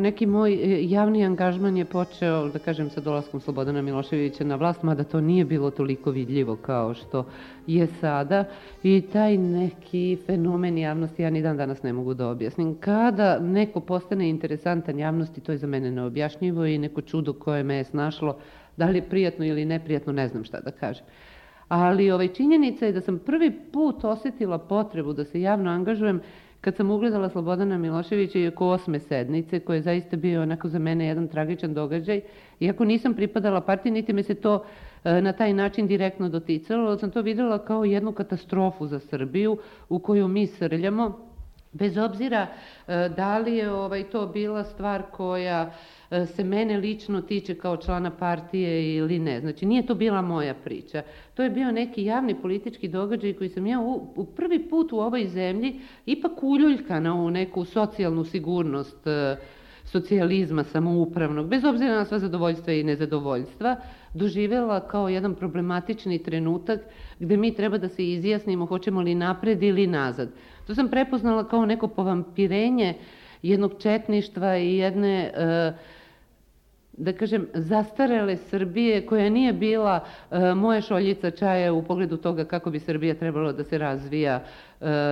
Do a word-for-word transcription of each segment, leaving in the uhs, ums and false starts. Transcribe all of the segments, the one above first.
Neki moj javni angažman je počeo, da kažem, sa dolaskom Slobodana Miloševića na vlast, mada to nije bilo toliko vidljivo kao što je sada. I taj neki fenomen javnosti ja ni dan danas ne mogu da objasnim. Kada neko postane interesantan javnosti, to je za mene neobjašnjivo i neko čudo koje me je snašlo, da li je prijatno ili neprijatno, ne znam šta da kažem. Ali ovaj, činjenica je da sam prvi put osetila potrebu da se javno angažujem kad sam ugledala Slobodana Miloševića i oko osme sednice, koji je zaista bio onako za mene jedan tragičan događaj. Iako nisam pripadala partiji, niti me se to e, na taj način direktno doticalo, ali sam to videla kao jednu katastrofu za Srbiju u koju mi srljamo, bez obzira e, da li je ovaj, to bila stvar koja e, se mene lično tiče kao člana partije ili ne. Znači, nije to bila moja priča. To je bio neki javni politički događaj koji sam ja u, u prvi put u ovoj zemlji ipak uljuljkana u neku socijalnu sigurnost e, socijalizma samoupravnog, bez obzira na sva zadovoljstva i nezadovoljstva, doživjela kao jedan problematični trenutak gde mi treba da se izjasnimo hoćemo li napred ili nazad. To sam prepoznala kao neko povampirenje jednog četništva i jedne, da kažem, zastarele Srbije koja nije bila moja šoljica čaja u pogledu toga kako bi Srbija trebala da se razvija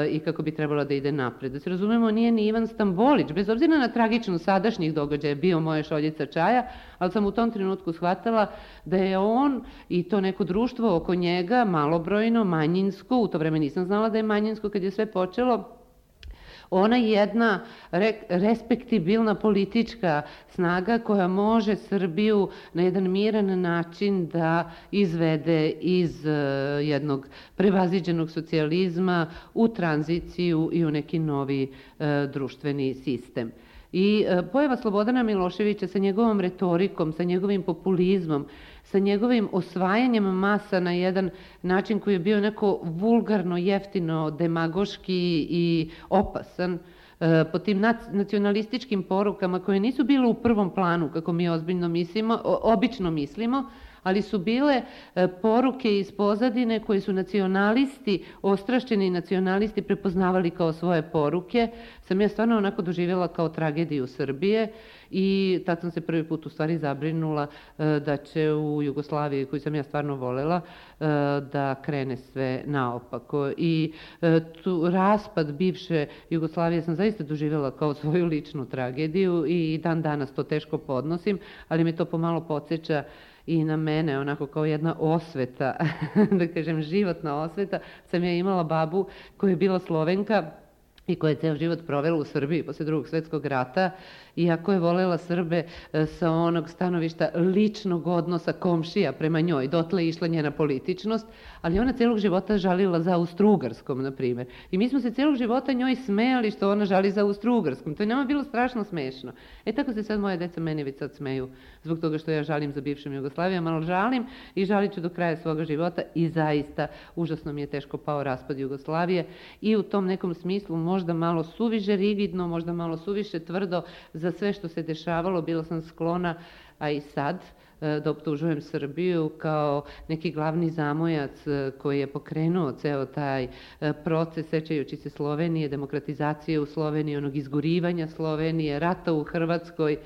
i kako bi trebala da ide napred. Da se razumemo, nije ni Ivan Stambolić, bez obzira na tragičnost sadašnjih događaja, bio moja šoljica čaja, ali sam u tom trenutku shvatala da je on i to neko društvo oko njega, malobrojno, manjinsko, u to vreme nisam znala da je manjinsko kad je sve počelo, ona je jedna re, respektibilna politička snaga koja može Srbiju na jedan miran način da izvede iz uh, jednog prevaziđenog socijalizma u tranziciju i u neki novi uh, društveni sistem. I uh, pojava Slobodana Miloševića sa njegovom retorikom, sa njegovim populizmom, sa njegovim osvajanjem masa na jedan način koji je bio neko vulgarno, jeftino, demagoški i opasan, po tim nacionalističkim porukama koje nisu bile u prvom planu, kako mi ozbiljno mislimo, obično mislimo, ali su bile poruke iz pozadine koje su nacionalisti, ostrašćeni nacionalisti prepoznavali kao svoje poruke, sam ja stvarno onako doživjela kao tragediju Srbije i tad sam se prvi put u stvari zabrinula da će u Jugoslaviji, koju sam ja stvarno volela, da krene sve naopako. I tu raspad bivše Jugoslavije sam zaista doživjela kao svoju ličnu tragediju i dan danas to teško podnosim, ali me to pomalo podsjeća i na mene, onako kao jedna osveta, da kažem životna osveta. Sam ja imala babu koja je bila Slovenka i koja je ceo život provela u Srbiji posle drugog svetskog rata, iako je volela Srbe sa onog stanovišta ličnog odnosa komšija prema njoj, dotle je išla njena političnost, ali ona celog života žalila za Austro-Ugarskom, na primjer. I mi smo se celog života njoj smejali što ona žali za Austro-Ugarskom. To je nama bilo strašno smešno. E tako se sad moje deca meni već sad smeju zbog toga što ja žalim za bivšom Jugoslavijom, ali žalim i žalit ću do kraja svoga života i zaista užasno mi je teško pao raspad Jugoslavije i u tom nekom smislu možda malo suviše rigidno, možda malo suviše tvrdo za sve što se dešavalo, bila sam sklona, a i sad, da optužujem Srbiju kao neki glavni zamojac koji je pokrenuo ceo taj proces, sećajući se Slovenije, demokratizacije u Sloveniji, onog izgorivanja Slovenije, rata u Hrvatskoj.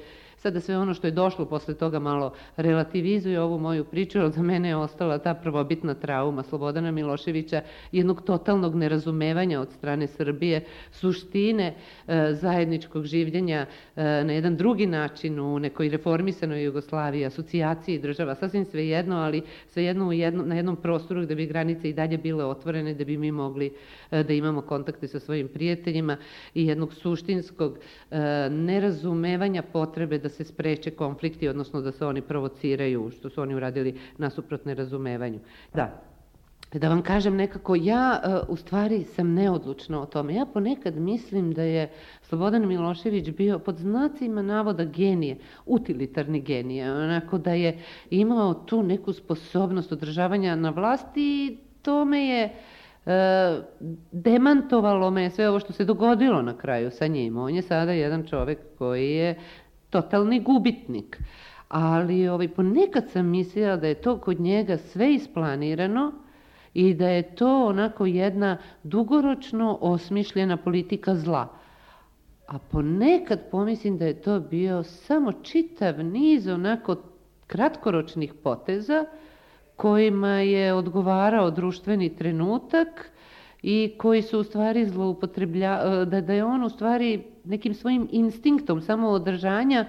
Sada sve ono što je došlo posle toga malo relativizuje ovu moju priču, ali za mene je ostala ta prvobitna trauma Slobodana Miloševića, jednog totalnog nerazumevanja od strane Srbije, suštine e, zajedničkog življenja e, na jedan drugi način u nekoj reformisanoj Jugoslaviji, asocijaciji država, sasvim svejedno, ali svejedno u jedno, na jednom prostoru gde bi granice i dalje bile otvorene, da bi mi mogli e, da imamo kontakte sa svojim prijateljima i jednog suštinskog e, nerazumevanja potrebe da se spreče konflikti, odnosno da se oni provociraju, što su oni uradili nasuprot nerazumevanju. Da, da vam kažem nekako, ja u stvari sam neodlučna o tome. Ja ponekad mislim da je Slobodan Milošević bio pod znacima navoda genije, utilitarni genije, onako da je imao tu neku sposobnost održavanja na vlasti i to me je E, demantovalo me sve ovo što se dogodilo na kraju sa njim. On je sada jedan čovek koji je totalni gubitnik. Ali ovaj, ponekad sam mislila da je to kod njega sve isplanirano i da je to onako jedna dugoročno osmišljena politika zla. a ponekad pomislim da je to bio samo čitav niz onako kratkoročnih poteza kojima je odgovarao društveni trenutak i koji su u stvari zloupotrebljavali, da, da je on u stvari nekim svojim instinktom samoodržanja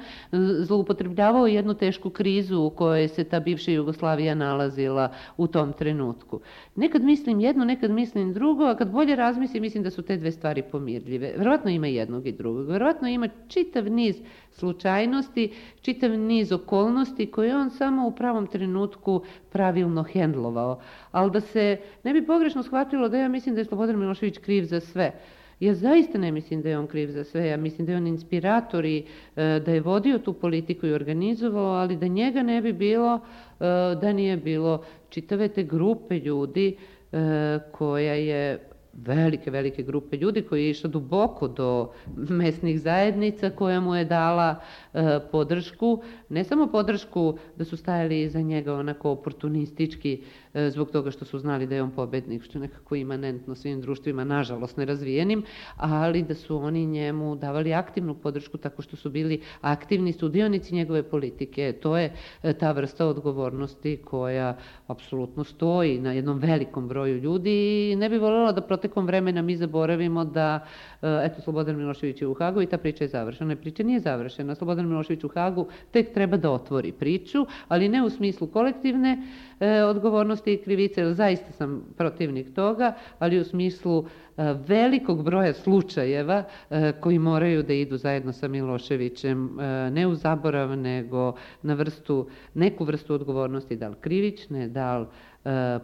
zloupotrebljavao jednu tešku krizu u kojoj se ta bivša Jugoslavija nalazila u tom trenutku. Nekad mislim jedno, nekad mislim drugo, a kad bolje razmislim, mislim da su te dve stvari pomirljive. Verovatno ima jednog i drugog. Verovatno ima čitav niz slučajnosti, čitav niz okolnosti koje on samo u pravom trenutku pravilno hendlovao. Ali da se ne bi pogrešno shvatilo da ja mislim da je Slobodan Milošević kriv za sve. Ja zaista ne mislim da je on kriv za sve, ja mislim da je on inspirator i e, da je vodio tu politiku i organizovao, ali da njega ne bi bilo, e, da nije bilo čitave te grupe ljudi e, koja je velike, velike grupe ljudi koji je išla duboko do mesnih zajednica koja mu je dala e, podršku, ne samo podršku da su stajali iza njega onako oportunistički e, zbog toga što su znali da je on pobednik, što je nekako imanentno svim društvima, nažalost nerazvijenim, ali da su oni njemu davali aktivnu podršku tako što su bili aktivni sudionici njegove politike. To je e, ta vrsta odgovornosti koja apsolutno stoji na jednom velikom broju ljudi i ne bi voljela da protekom vremena mi zaboravimo da, eto, Slobodan Milošević je u Hagu i ta priča je završena. Priča nije završena. Slobodan Milošević u Hagu tek treba da otvori priču, ali ne u smislu kolektivne e, odgovornosti i krivice, jer zaista sam protivnik toga, ali u smislu e, velikog broja slučajeva e, koji moraju da idu zajedno sa Miloševićem, e, ne u zaborav, nego na vrstu, neku vrstu odgovornosti, da li krivične, da li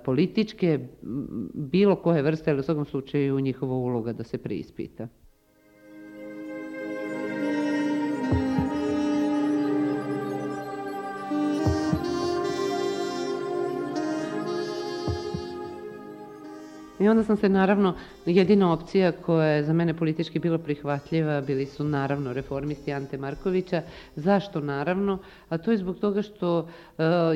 političke, bilo koje vrste, ali u svakom slučaju njihova uloga da se preispita. I onda sam se naravno, jedina opcija koja je za mene politički bila prihvatljiva bili su naravno reformisti Ante Markovića. Zašto naravno? A to je zbog toga što uh,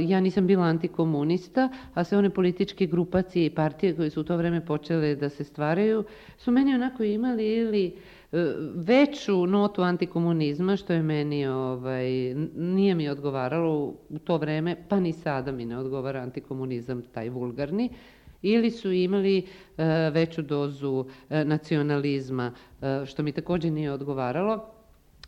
ja nisam bila antikomunista, a sve one političke grupacije i partije koje su u to vreme počele da se stvaraju su meni onako imali ili veću notu antikomunizma, što je meni, ovaj, nije mi odgovaralo u to vreme, pa ni sada mi ne odgovara antikomunizam, taj vulgarni, ili su imali uh, veću dozu uh, nacionalizma, uh, što mi također nije odgovaralo,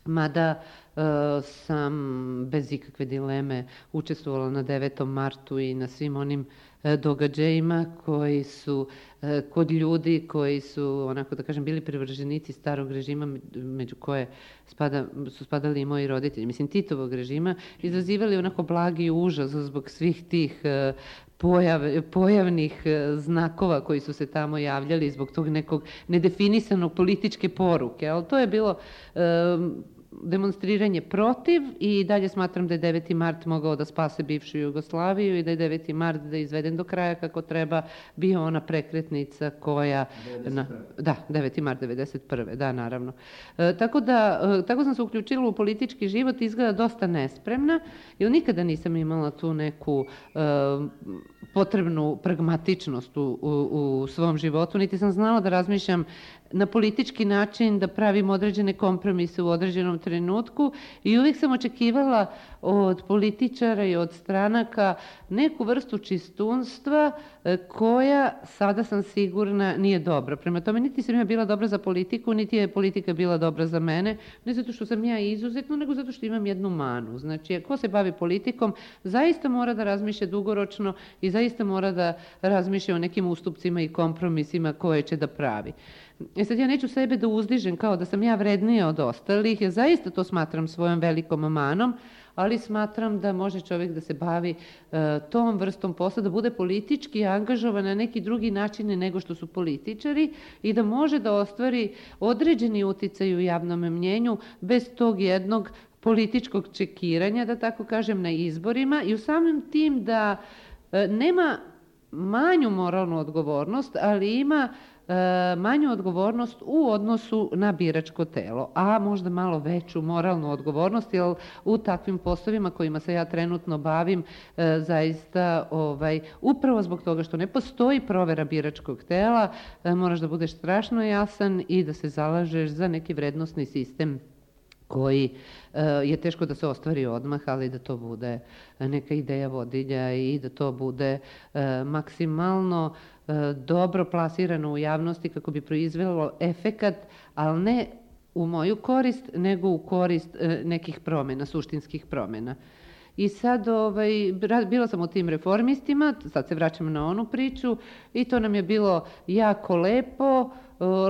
mada uh, sam bez ikakve dileme učestvovala na devetom martu i na svim onim uh, događajima koji su uh, kod ljudi koji su, onako da kažem, bili privrženici starog režima, među koje spada, su spadali i moji roditelji, mislim Titovog režima, izazivali onako blagi užas zbog svih tih uh, Pojav, pojavnih znakova koji su se tamo javljali zbog tog nekog nedefinisanog političke poruke, ali to je bilo um, demonstriranje protiv i dalje smatram da je deveti mart mogao da spase bivšu Jugoslaviju i da je deveti mart da je izveden do kraja kako treba, bio ona prekretnica koja... Na, da, deveti mart devedeset prve da, naravno. E, tako da, e, tako sam se uključila u politički život, izgleda dosta nespremna, jer nikada nisam imala tu neku e, potrebnu pragmatičnost u, u, u svom životu, niti sam znala da razmišljam na politički način, da pravim određene kompromise u određenom trenutku i uvijek sam očekivala od političara i od stranaka neku vrstu čistunstva koja, sada sam sigurna, nije dobra. Prema tome, niti sam ja bila dobra za politiku, niti je politika bila dobra za mene, ne zato što sam ja izuzetno, nego zato što imam jednu manu. Znači, ko se bavi politikom, zaista mora da razmišlja dugoročno i zaista mora da razmišlja o nekim ustupcima i kompromisima koje će da pravi. E sad, ja neću sebe da uzdižem kao da sam ja vrednija od ostalih, ja zaista to smatram svojom velikom manom, ali smatram da može čovjek da se bavi uh, tom vrstom posla, da bude politički angažovan na neki drugi način nego što su političari i da može da ostvari određeni uticaj u javnom mnjenju bez tog jednog političkog čekiranja, da tako kažem, na izborima i u samim tim da uh, nema manju moralnu odgovornost, ali ima e, manju odgovornost u odnosu na biračko telo, a možda malo veću moralnu odgovornost, jer u takvim poslovima kojima se ja trenutno bavim, e, zaista ovaj, upravo zbog toga što ne postoji provera biračkog tela, e, moraš da budeš strašno jasan i da se zalažeš za neki vrednosni sistem koji je teško da se ostvari odmah, ali da to bude neka ideja vodilja i da to bude maksimalno dobro plasirano u javnosti kako bi proizvelo efekat, ali ne u moju korist, nego u korist nekih promjena, suštinskih promjena. I sad, ovaj, bila sam u tim reformistima, sad se vraćam na onu priču i to nam je bilo jako lepo,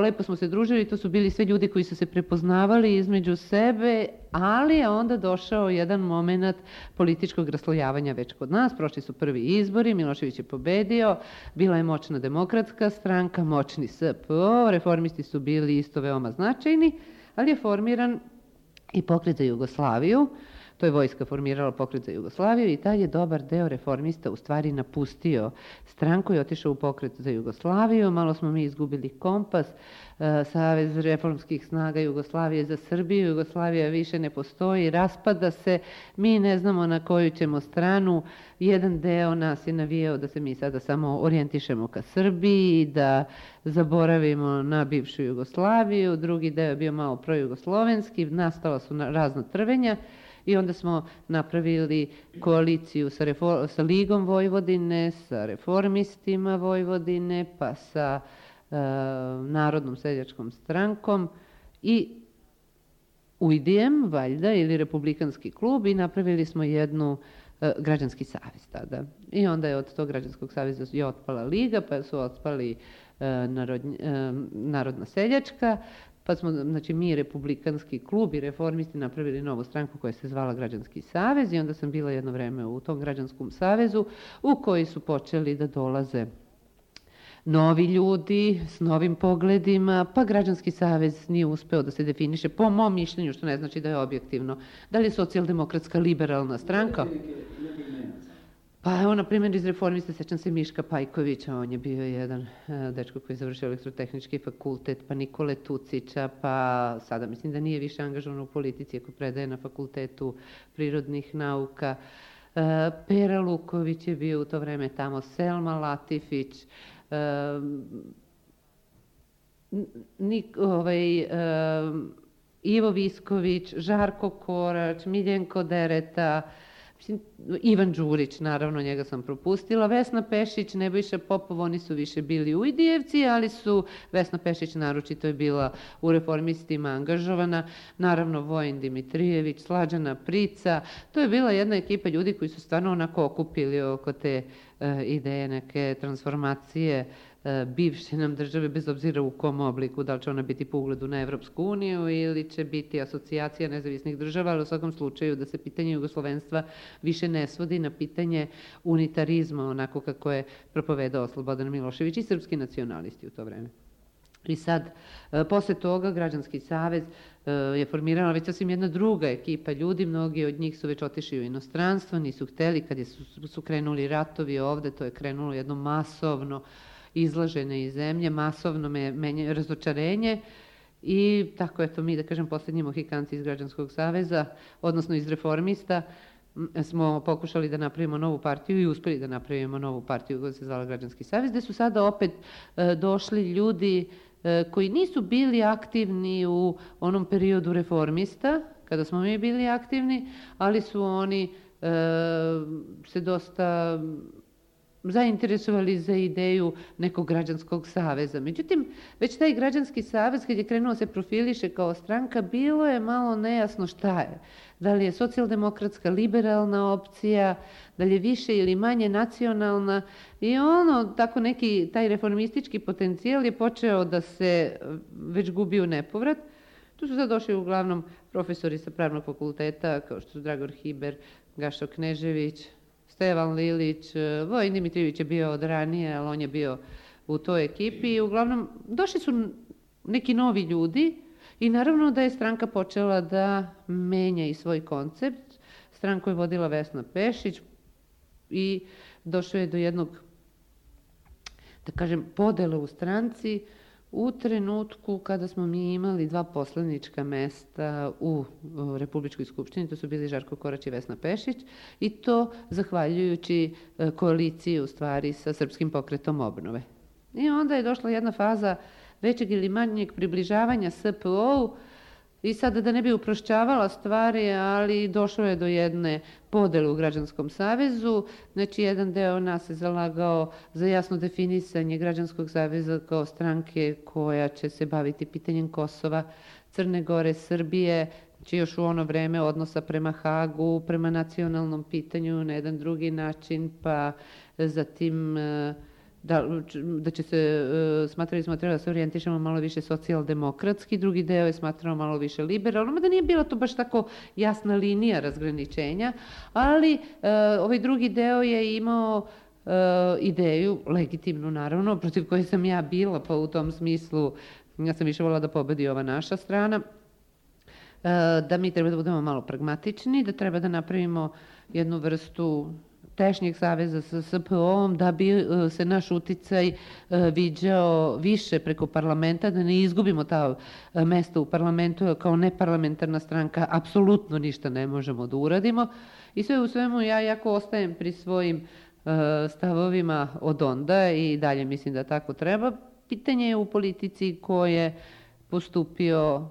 lepo smo se družili, to su bili sve ljudi koji su se prepoznavali između sebe, ali je onda došao jedan moment političkog raslojavanja već kod nas. Prošli su prvi izbori, Milošević je pobedio, bila je moćna demokratska stranka, moćni S P O, reformisti su bili isto veoma značajni, ali je formiran i Pokret za Jugoslaviju. To je vojska formirala Pokret za Jugoslaviju i taj je dobar deo reformista u stvari napustio stranku i otišao u Pokret za Jugoslaviju. Malo smo mi izgubili kompas, Savez reformskih snaga Jugoslavije za Srbiju. Jugoslavija više ne postoji, raspada se, mi ne znamo na koju ćemo stranu. Jedan deo nas je navijao da se mi sada samo orijentišemo ka Srbiji, da zaboravimo na bivšu Jugoslaviju, drugi deo je bio malo projugoslovenski, nastala su razna trvenja. I onda smo napravili koaliciju sa, refor, sa Ligom Vojvodine, sa reformistima Vojvodine, pa sa e, Narodnom seljačkom strankom i Ujdijem, valjda, ili Republikanski klub i napravili smo jednu e, građanski savez tada. I onda je od tog građanskog saveza je otpala Liga, pa su otpali e, narod, e, Narodna seljačka, pa smo, znači, mi, Republikanski klub i reformisti napravili novu stranku koja se zvala Građanski savez i onda sam bila jedno vreme u tom Građanskom savezu u koji su počeli da dolaze novi ljudi s novim pogledima, pa Građanski savez nije uspeo da se definiše, po mom mišljenju, što ne znači da je objektivno. Da li je socijaldemokratska liberalna stranka? Pa evo, na primjer, iz reformista sećam se Miška Pajkovića, on je bio jedan uh, dečko koji je završio elektrotehnički fakultet, pa Nikole Tucića, pa sada mislim da nije više angažovan u politici, ako predaje na fakultetu prirodnih nauka. Uh, Pera Luković je bio u to vreme tamo, Selma Latifić, uh, Nik, ovaj, uh, Ivo Visković, Žarko Korać, Miljenko Dereta, Ivan Đurić, naravno, njega sam propustila, Vesna Pešić, Nebojša Popov, oni su više bili Ujdijevci, ali su, Vesna Pešić naročito je bila u reformistima angažovana, naravno Vojin Dimitrijević, Slađana Prica, to je bila jedna ekipa ljudi koji su stvarno onako okupili oko te uh, ideje neke transformacije bivše nam države, bez obzira u kom obliku, da li će ona biti po ugledu na Evropsku uniju ili će biti asocijacija nezavisnih država, ali u svakom slučaju da se pitanje jugoslovenstva više ne svodi na pitanje unitarizma, onako kako je propovedao Slobodan Milošević i srpski nacionalisti u to vreme. I sad, posle toga, Građanski savez je formirala već sasvim jedna druga ekipa ljudi, mnogi od njih su već otišli u inostranstvo, nisu hteli, kad je su, su krenuli ratovi ovde, to je krenulo jedno masovno izlažene iz zemlje, masovno me, menje, razočarenje i tako eto mi, da kažem, poslednji Mohikanci iz Građanskog saveza, odnosno iz reformista, smo pokušali da napravimo novu partiju i uspeli da napravimo novu partiju koja se zvala Građanski savez, gde su sada opet e, došli ljudi e, koji nisu bili aktivni u onom periodu reformista, kada smo mi bili aktivni, ali su oni e, se dosta zainteresovali za ideju nekog građanskog saveza. Međutim, već taj Građanski savez, kad je krenuo se profiliše kao stranka, bilo je malo nejasno šta je. Da li je socijaldemokratska liberalna opcija, da li je više ili manje nacionalna i ono, tako neki, taj reformistički potencijal je počeo da se već gubi u nepovrat. Tu su sad došli uglavnom profesori sa pravnog fakulteta, kao što su Dragor Hiber, Gašo Knežević, Stevan Lilić, Vojin Dimitrijević je bio od ranije, ali on je bio u toj ekipi i uglavnom došli su neki novi ljudi i naravno da je stranka počela da menja i svoj koncept. Stranku je vodila Vesna Pešić i došlo je do jednog da kažem, podele u stranci u trenutku kada smo mi imali dva poslanička mesta u Republičkoj skupštini, to su bili Žarko Korać i Vesna Pešić, i to zahvaljujući koaliciji u stvari sa Srpskim pokretom obnove. I onda je došla jedna faza većeg ili manjeg približavanja S P O-u i sada da ne bi uprošćavala stvari, ali došlo je do jedne podele u Građanskom savezu. Znači, jedan deo nas se zalagao za jasno definisanje Građanskog saveza kao stranke koja će se baviti pitanjem Kosova, Crne Gore, Srbije, znači još u ono vreme odnosa prema Hagu, prema nacionalnom pitanju na jedan drugi način, pa zatim Da, da će se, smatrali smo treba da se orijentišemo malo više socijaldemokratski, drugi deo je smatrao malo više liberalno, da nije bila to baš tako jasna linija razgraničenja, ali ovaj drugi deo je imao ideju, legitimnu naravno, protiv koje sam ja bila, pa u tom smislu ja sam više volila da pobedi ova naša strana, da mi treba da budemo malo pragmatični, da treba da napravimo jednu vrstu tešnjeg saveza sa S P O-om, da bi se naš uticaj viđao više preko parlamenta, da ne izgubimo ta mesta u parlamentu kao neparlamentarna stranka, apsolutno ništa ne možemo da uradimo. I sve u svemu ja jako ostajem pri svojim stavovima od onda i dalje mislim da tako treba. Pitanje je u politici ko je postupio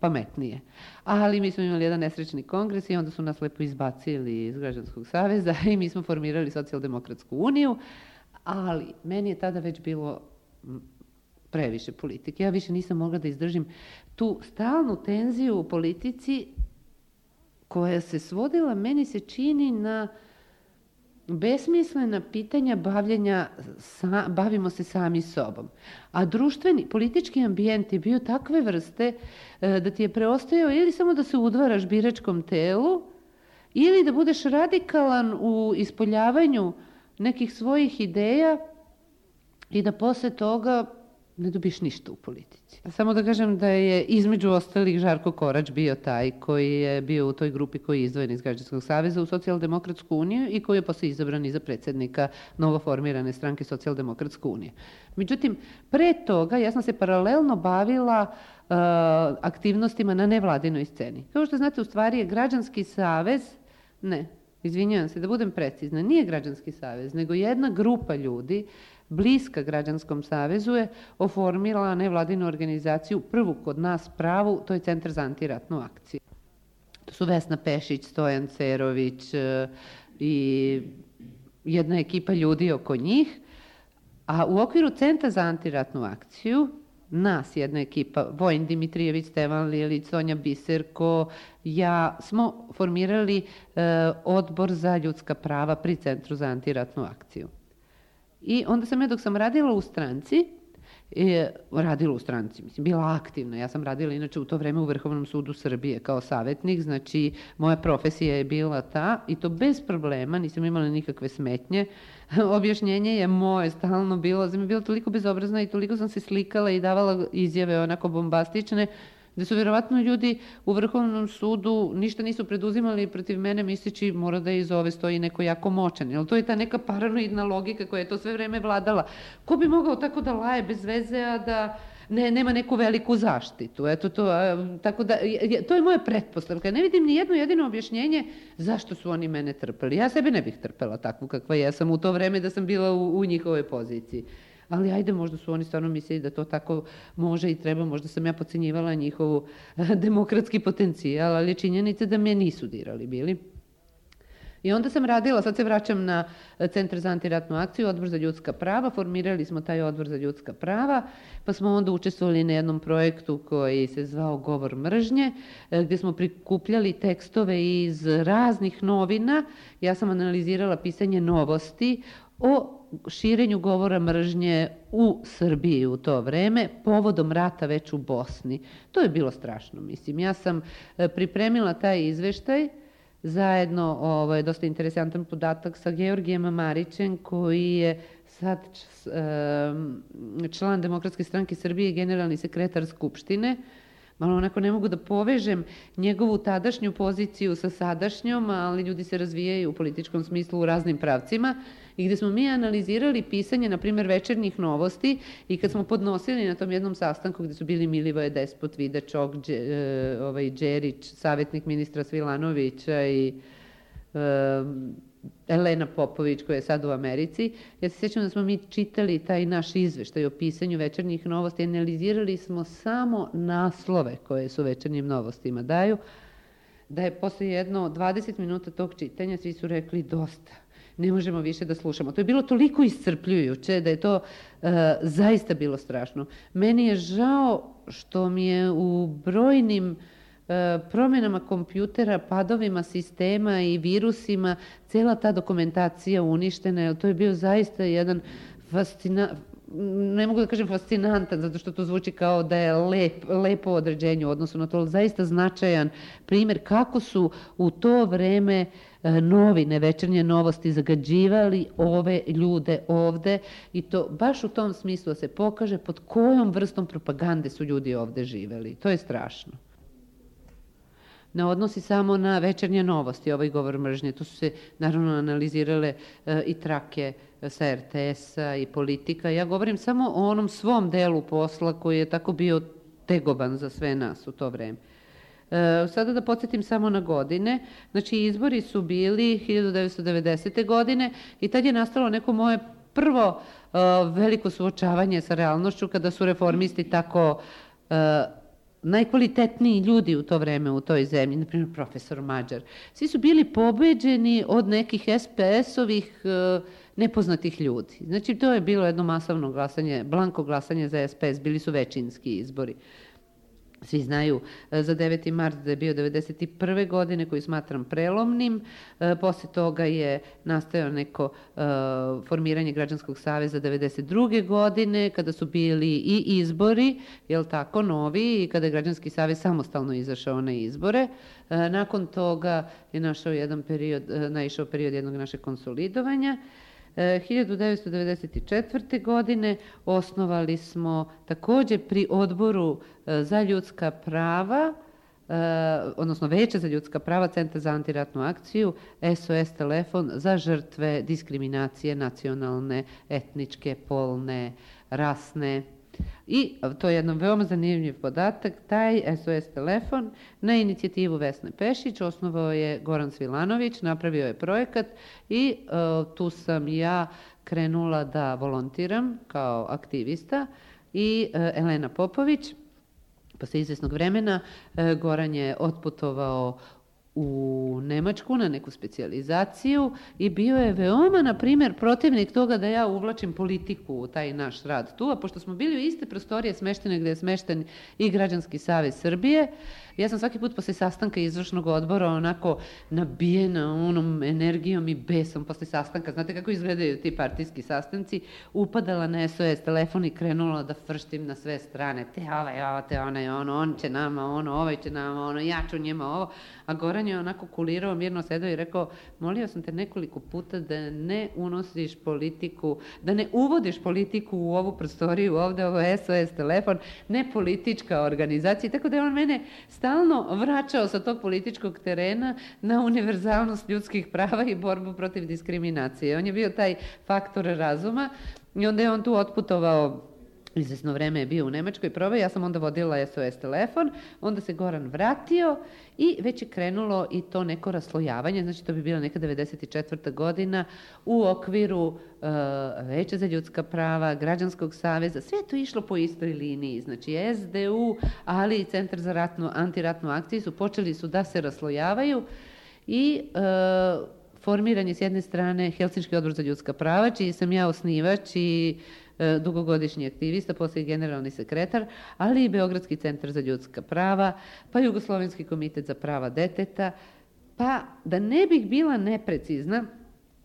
pametnije. Ali mi smo imali jedan nesrećni kongres i onda su nas lepo izbacili iz Građanskog saveza i mi smo formirali Socijaldemokratsku uniju, ali meni je tada već bilo previše politike. Ja više nisam mogla da izdržim tu stalnu tenziju u politici koja se svodila, meni se čini, na besmislena pitanja bavljenja, sa, bavimo se sami sobom. A društveni, politički ambijent je bio takve vrste da ti je preostajao ili samo da se udvaraš biračkom telu, ili da budeš radikalan u ispoljavanju nekih svojih ideja i da posle toga ne dobiš ništa u politici. Samo da kažem da je između ostalih Žarko Korać bio taj koji je bio u toj grupi koji je izdvojen iz Građanskog saveza u Socijaldemokratsku uniju i koji je posle izabran i za predsednika novoformirane stranke Socijaldemokratske unije. Međutim, pre toga ja sam se paralelno bavila uh, aktivnostima na nevladinoj sceni. Kao što znate, u stvari je Građanski savez, ne, izvinjavam se, da budem precizna, nije Građanski savez, nego jedna grupa ljudi bliska Građanskom savezu je oformila nevladinu organizaciju, prvu kod nas pravu, to je Centar za antiratnu akciju. To su Vesna Pešić, Stojan Cerović i jedna ekipa ljudi oko njih, a u okviru Centra za antiratnu akciju nas jedna ekipa, Vojin Dimitrijević, Stevan Lilić, Sonja Biserko, ja smo formirali e, odbor za ljudska prava pri Centru za antiratnu akciju. I onda sam ja dok sam radila u stranci, e, radila u stranci, mislim, bila aktivna, ja sam radila inače u to vreme u Vrhovnom sudu Srbije kao savjetnik, znači moja profesija je bila ta i to bez problema, nisam imala nikakve smetnje. Objašnjenje je moje stalno bilo, sam je bila toliko bezobrazna i toliko sam se slikala i davala izjave onako bombastične, da su vjerovatno ljudi u Vrhovnom sudu ništa nisu preduzimali protiv mene misleći mora da iz ove stoji neko jako moćan. Jel to je ta neka paranoidna logika koja je to sve vreme vladala. Ko bi mogao tako da laje bez veze, a da ne, nema neku veliku zaštitu? Eto to, a, tako da, to je moja pretpostavka. Ne vidim ni jedno jedino objašnjenje zašto su oni mene trpeli. Ja sebe ne bih trpela takvu kakva jesam u to vreme da sam bila u, u njihovoj poziciji. Ali ajde, možda su oni stvarno mislili da to tako može i treba, možda sam ja podcenjivala njihovu demokratski potencijal, ali činjenica da me nisu dirali bili. I onda sam radila, sad se vraćam na Centar za antiratnu akciju, Odbor za ljudska prava, formirali smo taj Odbor za ljudska prava, pa smo onda učestvovali na jednom projektu koji se zvao Govor mržnje, gdje smo prikupljali tekstove iz raznih novina. Ja sam analizirala pisanje novosti o širenju govora mržnje u Srbiji u to vreme, povodom rata već u Bosni. To je bilo strašno, mislim. Ja sam pripremila taj izveštaj, zajedno, ovo je dosta interesantan podatak, sa Georgijem Marićem, koji je sad član Demokratske stranke Srbije, generalni sekretar Skupštine, malo onako ne mogu da povežem njegovu tadašnju poziciju sa sadašnjom, ali ljudi se razvijaju u političkom smislu u raznim pravcima, i gde smo mi analizirali pisanje, na primjer, Večernjih novosti, i kad smo podnosili na tom jednom sastanku gde su bili Milivoje Despot, Vida Čok, Đe, ovaj, Đerić, savjetnik ministra Svilanovića i um, Elena Popović, koja je sad u Americi. Ja se sjećam da smo mi čitali taj naš izveštaj o pisanju Večernjih novosti, analizirali smo samo naslove koje su Večernjim novostima daju, da je posle jedno dvadeset minuta tog čitanja svi su rekli dosta, ne možemo više da slušamo. To je bilo toliko iscrpljujuće da je to uh, zaista bilo strašno. Meni je žao što mi je u brojnim promjenama kompjutera, padovima sistema i virusima, cela ta dokumentacija uništena, jer to je bio zaista jedan fascinantan, ne mogu da kažem fascinantan, zato što to zvuči kao da je lep, lepo određenje u odnosu na to, ali zaista značajan primjer kako su u to vreme novine, Večernje novosti zagađivali ove ljude ovde, i to baš u tom smislu da se pokaže pod kojom vrstom propagande su ljudi ovde živeli. To je strašno. Ne odnosi samo na Večernje novosti, ovaj govor mržnje. Tu su se naravno analizirale e, i trake sa er te es-a i Politika. Ja govorim samo o onom svom delu posla koji je tako bio tegoban za sve nas u to vreme. E, sada da podsjetim samo na godine. Znači, izbori su bili hiljadu devetsto devedesete. godine i tad je nastalo neko moje prvo e, veliko suočavanje sa realnošću, kada su reformisti tako e, najkvalitetniji ljudi u to vreme u toj zemlji, na primjer profesor Mađar, svi su bili pobeđeni od nekih es pe es-ovih e, nepoznatih ljudi. Znači, to je bilo jedno masovno glasanje, blanko glasanje za es pe es, bili su većinski izbori. Svi znaju za deveti mart da je bio devedeset prve. godine, koji smatram prelomnim. E, posle toga je nastajao neko e, formiranje Građanskog saveza devedeset druge. godine, kada su bili i izbori, jel tako, novi, i kada je Građanski savez samostalno izašao na izbore. E, nakon toga je našao jedan period, e, naišao period jednog našeg konsolidovanja. hiljadu devetsto devedeset četvrte. godine osnovali smo takođe pri Odboru za ljudska prava, odnosno Veće za ljudska prava, Centar za antiratnu akciju, es o es telefon za žrtve diskriminacije nacionalne, etničke, polne, rasne. I to je jedan veoma zanimljiv podatak, taj es o es telefon na inicijativu Vesne Pešić osnovao je Goran Svilanović, napravio je projekat i uh, tu sam ja krenula da volontiram kao aktivista i uh, Elena Popović. Posle izvesnog vremena uh, Goran je otputovao u Nemačku na neku specijalizaciju i bio je veoma, na primjer, protivnik toga da ja uvlačim politiku u taj naš rad tu, a pošto smo bili u iste prostorije smeštene gde je smešten i Građanski savez Srbije, ja sam svaki put posle sastanka izvršnog odbora onako nabijena onom energijom i besom posle sastanka. Znate kako izgledaju ti partijski sastanci? Upadala na es o es telefon i krenula da frštim na sve strane. Te ovaj, ovo, te onaj, ono, on će nama, ono, ovaj će nama, ono, ja ću njima ovo. A Goran je onako kulirao, mirno sedao i rekao, molio sam te nekoliko puta da ne unosiš politiku, da ne uvodiš politiku u ovu prostoriju, ovde ovo es o es telefon, ne politička organizacija. Tako da je on mene stalno vraćao sa tog političkog terena na univerzalnost ljudskih prava i borbu protiv diskriminacije. On je bio taj faktor razuma i onda je on tu otputovao. Izvesno vreme je bio u Nemačkoj probe, ja sam onda vodila es o es telefon, onda se Goran vratio i već je krenulo i to neko raslojavanje, znači to bi bila neka devedeset četvrta. godina u okviru uh, Veća za ljudska prava, Građanskog saveza, sve je to išlo po istoj liniji, znači es de u, ali i Centar za ratnu, antiratnu akciju su počeli su da se raslojavaju i uh, formiran je s jedne strane Helsinški odbor za ljudska prava, čiji sam ja osnivač i dugogodišnji aktivista, posle generalni sekretar, ali i Beogradski centar za ljudska prava, pa Jugoslovenski komitet za prava deteta, pa da ne bih bila neprecizna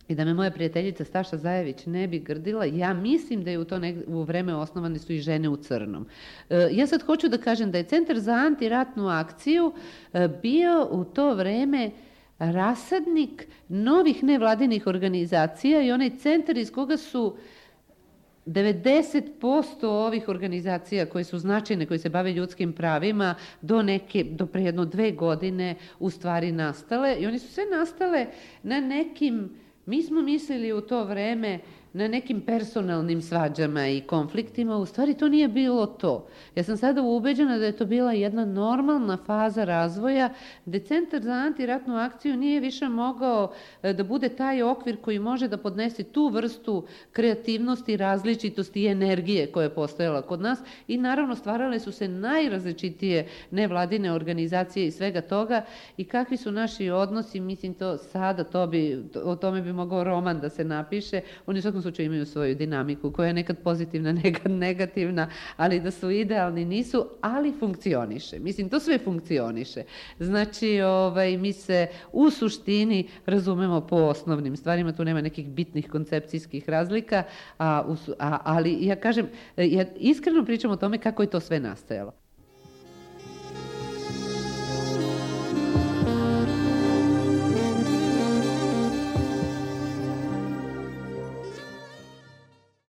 i da me moja prijateljica Staša Zajević ne bi grdila, ja mislim da je u to nek- u vreme osnovane su i Žene u crnom. E, ja sad hoću da kažem da je Centar za antiratnu akciju e, bio u to vreme rasadnik novih nevladinih organizacija i onaj centar iz koga su devedeset posto ovih organizacija koje su značajne, koje se bave ljudskim pravima, do neke, do pre jedno dve godine u stvari nastale i oni su sve nastale na nekim, mi smo mislili u to vreme, na nekim personalnim svađama i konfliktima, u stvari to nije bilo to. Ja sam sada ubeđena da je to bila jedna normalna faza razvoja, gde Centar za antiratnu akciju nije više mogao da bude taj okvir koji može da podnese tu vrstu kreativnosti, različitosti i energije koja je postojala kod nas i naravno stvarale su se najrazličitije nevladine organizacije i svega toga i kakvi su naši odnosi, mislim to sada, to bi, o tome bi mogao roman da se napiše, oni u svakom slučaju imaju svoju dinamiku koja je nekad pozitivna, nekad negativna, ali da su idealni nisu, ali funkcioniše. Mislim, to sve funkcioniše. Znači, ovaj, mi se u suštini razumemo po osnovnim stvarima, tu nema nekih bitnih koncepcijskih razlika, a, a, ali ja kažem, ja iskreno pričam o tome kako je to sve nastajalo.